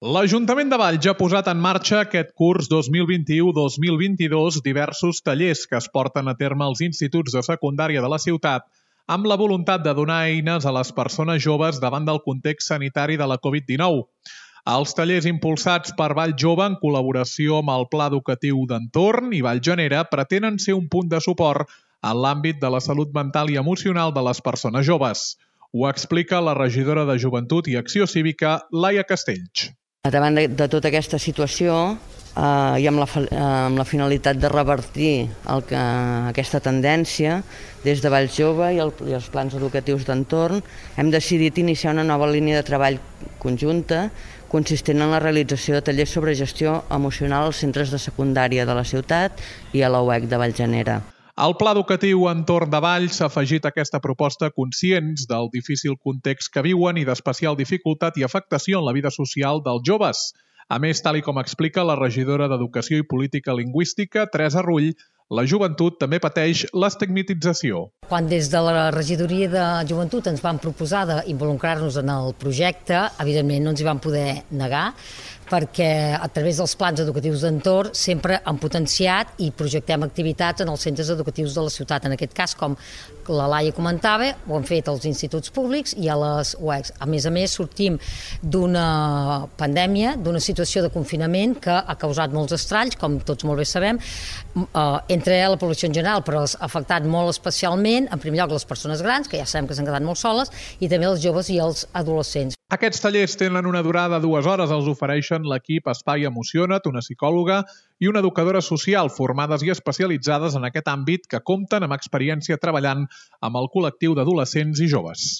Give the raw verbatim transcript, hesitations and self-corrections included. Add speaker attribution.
Speaker 1: L'Ajuntament de Valls ha posat en marxa aquest curs dos mil vint-i-u dos mil vint-i-dos diversos tallers que es porten a terme als instituts de secundària de la ciutat amb la voluntat de donar eines a les persones joves davant del context sanitari de la covid dinou. Els tallers impulsats per Valls Jove en col·laboració amb el Pla Educatiu d'Entorn i Valls Genera pretenen ser un punt de suport en l'àmbit de la salut mental i emocional de les persones joves. Ho explica la regidora de Joventut i Acció Cívica, Laia Castells.
Speaker 2: Davant de, de tota aquesta situació eh, i amb la, amb la finalitat de revertir el que, aquesta tendència, des de Valls Jove i, el, i els plans educatius d'entorn hem decidit iniciar una nova línia de treball conjunta consistent en la realització de tallers sobre gestió emocional als centres de secundària de la ciutat i a la U E C de Valls Genera.
Speaker 1: El Pla Educatiu Entorn de Valls s'ha afegit a aquesta proposta conscients del difícil context que viuen i d'especial dificultat i afectació en la vida social dels joves. A més, tal i com explica la regidora d'Educació i Política Lingüística, Teresa Rull, la joventut també pateix l'estigmatització.
Speaker 3: Quan des de la regidoria de Joventut ens van proposar d'involucrar-nos en el projecte, evidentment no ens hi vam poder negar, perquè a través dels plans educatius d'entorn sempre han potenciat i projectem activitats en els centres educatius de la ciutat. En aquest cas, com la Laia comentava, ho han fet als instituts públics i a les U E Cs. A més a més, sortim d'una pandèmia, d'una situació de confinament que ha causat molts estralls, com tots molt bé sabem, entre la població en general, però ha afectat molt especialment, en primer lloc, les persones grans, que ja sabem que s'han quedat molt soles, i també els joves i els adolescents.
Speaker 1: Aquests tallers tenen una durada de dues hores, els ofereixen l'equip Espai Emociona't, una psicòloga i una educadora social formades i especialitzades en aquest àmbit que compten amb experiència treballant amb el col·lectiu d'adolescents i joves.